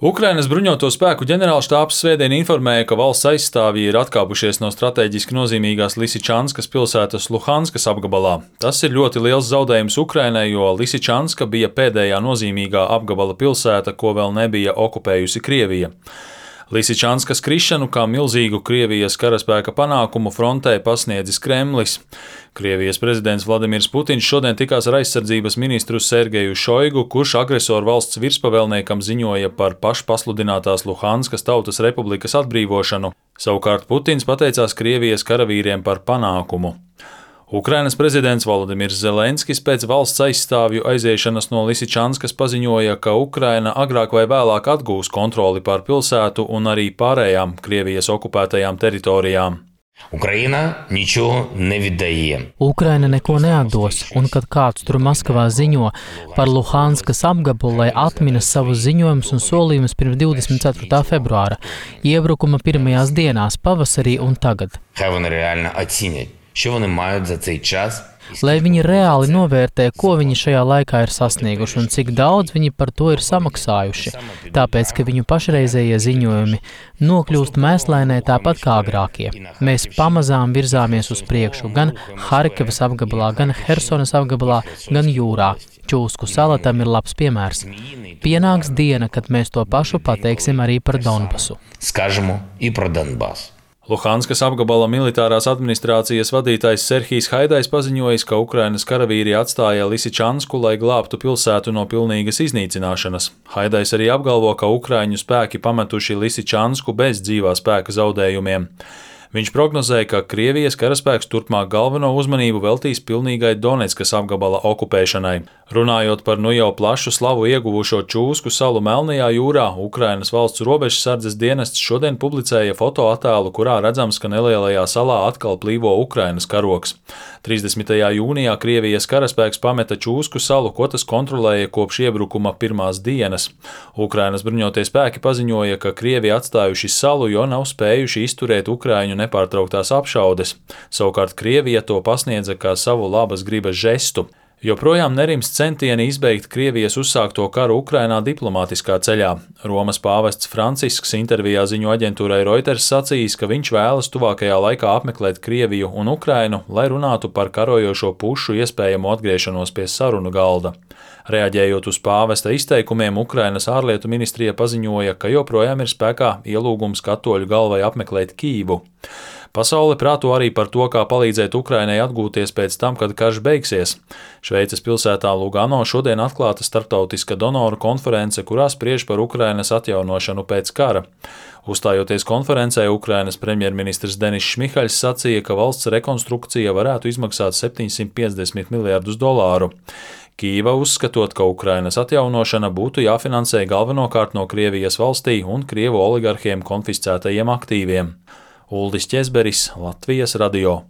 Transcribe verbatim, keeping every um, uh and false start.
Ukrainas bruņoto spēku ģenerālštābs svētdien informēja, ka valsts aizstāvji ir atkāpušies no strateģiski nozīmīgās Lisičanskas pilsētas Luhanskas apgabalā. Tas ir ļoti liels zaudējums Ukrainai, jo Lisičanska bija pēdējā nozīmīgā apgabala pilsēta, ko vēl nebija okupējusi Krievija. Lisičanskas krišanu kā milzīgu Krievijas karaspēka panākumu frontē pasniedzis Kremlis. Krievijas prezidents Vladimirs Putins šodien tikās ar aizsardzības ministru Sergeju Šoigu, kurš agresoru valsts virspavēlniekam ziņoja par pašpasludinātās Luhanskas Tautas Republikas atbrīvošanu. Savukārt Putins pateicās Krievijas karavīriem par panākumu. Ukrainas prezidents Volodimirs Zelenskis pēc valsts aizstāvju aiziešanas no Lisičanskas paziņoja, ka Ukraina agrāk vai vēlāk atgūs kontroli pār pilsētu un arī pārējām Krievijas okupētajām teritorijām. Ukraina ničo nevidēja. Ukraina neko neatdos, un kad kāds tur Maskavā ziņo par Luhanskas apgabalu, lai atminas savus ziņojumus un solījumus pirms divdesmit ceturtā februāra, iebrukuma pirmajās dienās, pavasarī un tagad. Хай вони реально оцінять, що вони мають за цей час. Lai viņi reāli novērtē, ko viņi šajā laikā ir sasnieguši un cik daudz viņi par to ir samaksājuši, tāpēc, ka viņu pašreizējie ziņojumi nokļūst mēslainē tāpat kā agrākie. Mēs pamazām virzāmies uz priekšu gan Harkivas apgabalā, gan Hersonas apgabalā, gan jūrā. Čūsku sala tam ir labs piemērs. Pienāks diena, kad mēs to pašu pateiksim arī par Donbasu. Скажемо і про Донбас. Luhanskas apgabala militārās administrācijas vadītājs Serhijs Haidais paziņojis, ka Ukrainas karavīri atstāja Lisičansku, lai glābtu pilsētu no pilnīgas iznīcināšanas. Haidais arī apgalvo, ka ukraiņu spēki pametuši Lisičansku bez dzīvā spēka zaudējumiem. Viņš prognozēja, ka Krievijas karaspēks turpmāk galveno uzmanību veltīs pilnīgai Donetskas apgabala okupēšanai. Runājot par nu jau plašu slavu ieguvušo Čūsku salu Melnajā jūrā, Ukrainas valsts robežsardzes dienests šodien publicēja fotoattēlu, kurā redzams, ka nelielajā salā atkal plīvo Ukrainas karogs. trīsdesmitajā jūnijā Krievijas karaspēks pameta Čūsku salu, ko tas kontrolēja kopš iebrukuma pirmās dienas. Ukrainas bruņotie spēki paziņoja, ka Krievi atstājuši salu, jo nav spējuši izturēt Ukraiņu nepārtrauktās apšaudes. Savukārt Krievija to pasniedza kā savu labas gribas žestu. Joprojām nerimst centieni izbeigt Krievijas uzsākto karu Ukrainā diplomātiskā ceļā. Romas pāvests Francisks intervijā ziņu aģentūrai Reuters sacījis, ka viņš vēlas tuvākajā laikā apmeklēt Krieviju un Ukrainu, lai runātu par karojošo pušu iespējamo atgriešanos pie sarunu galda. Reaģējot uz pāvesta izteikumiem, Ukrainas ārlietu ministrija paziņoja, ka joprojām ir spēkā ielūgums katoļu galvai apmeklēt Kīvu. Pasaule prāto arī par to, kā palīdzēt Ukrainai atgūties pēc tam, kad karš beigsies. Šveices pilsētā Lugano šodien atklāta starptautiska donoru konference, kurā spriež par Ukrainas atjaunošanu pēc kara. Uzstājoties konferencē, Ukrainas premjerministrs Denis Šmihaļs sacīja, ka valsts rekonstrukcija varētu izmaksāt septiņsimt piecdesmit miljardus dolāru. Kīva uzskatot, ka Ukrainas atjaunošana būtu jāfinansē galvenokārt no Krievijas valstī un Krievu oligarhiem konfiscētajiem aktīviem. Uldis Ķezberis, Latvijas radio.